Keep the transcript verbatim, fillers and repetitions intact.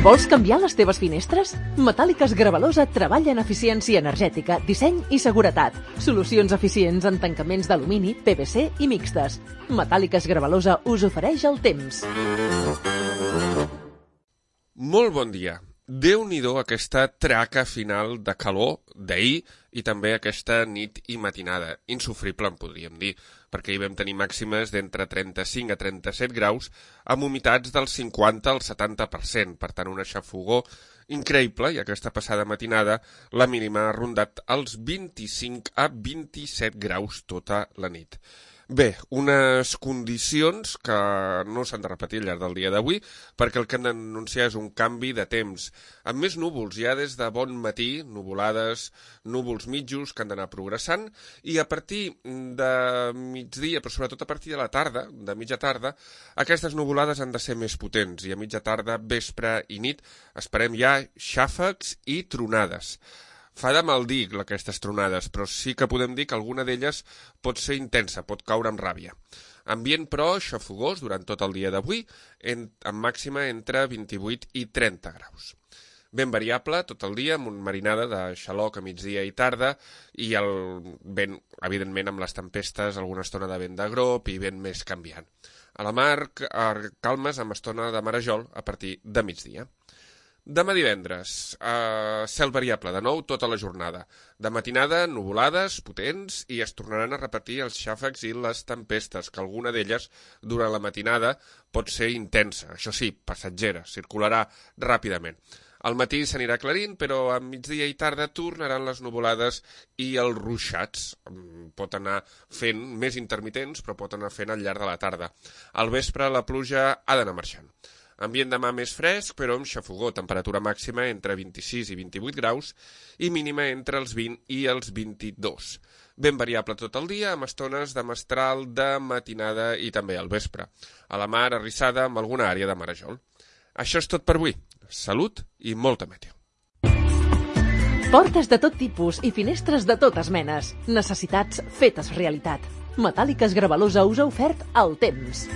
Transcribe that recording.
Vols canviar les teves finestres? Metàl·liques Gravalosa treballa en eficiència energètica, disseny i seguretat. Solucions eficients en tancaments d'alumini, P V C i mixtes. Metàl·liques Gravalosa us ofereix el temps. Molt bon dia. Déu-n'hi-do aquesta traca final de calor d'ahir i també aquesta nit i matinada. Insufrible, en podríem dir, perquè hi vam tenir màximes d'entre trenta-cinc a trenta-set graus amb humitats del cinquanta al setanta per cent. Per tant, una xafogor increïble, i aquesta passada matinada la mínima ha rondat els vint-i-cinc a vint-i-set graus tota la nit. Bé, unes condicions que no s'han de repetir al llarg del dia d'avui, perquè el que hem d'anunciar és un canvi de temps, amb més núvols ja des de bon matí, nuvolades, núvols mitjos que han d'anar progressant, i a partir de migdia, però sobretot a partir de la tarda, de mitja tarda, aquestes nuvolades han de ser més potents, i a mitja tarda, vespre i nit, esperem ja xàfecs i tronades. Fa de mal dir aquestes tronades, però sí que podem dir que alguna d'elles pot ser intensa, pot caure amb ràbia. Ambient, però, xafogós durant tot el dia d'avui, amb màxima entre vint-i-vuit i trenta graus. Ben variable tot el dia, amb una marinada de xaloc a migdia i tarda, i el vent, evidentment, amb les tempestes, alguna estona de vent de grop i vent més canviant. A la mar, calmes amb estona de marejol a partir de migdia. Demà divendres, eh, cel variable de nou tota la jornada. De matinada, nuvolades potents i es tornaran a repetir els xàfecs i les tempestes, que alguna d'elles, durant la matinada, pot ser intensa. Això sí, passatgera, circularà ràpidament. Al matí s'anirà aclarint, però a migdia i tarda tornaran les nuvolades i els ruixats. Pot anar fent més intermitents, però pot anar fent al llarg de la tarda. Al vespre la pluja ha d'anar marxant. Ambient demà més fresc, però amb xafogor, temperatura màxima entre vint-i-sis i vint-i-vuit graus i mínima entre els vint i els vint-i-dos. Ben variable tot el dia, amb estones de mestral, de matinada i també al vespre. A la mar arrissada amb alguna àrea de marejol. Això és tot per avui. Salut i molta meteo. Portes de tot tipus i finestres de totes menes. Necessitats fetes realitat. Metàl·liques Gravalosa us ha ofert el temps.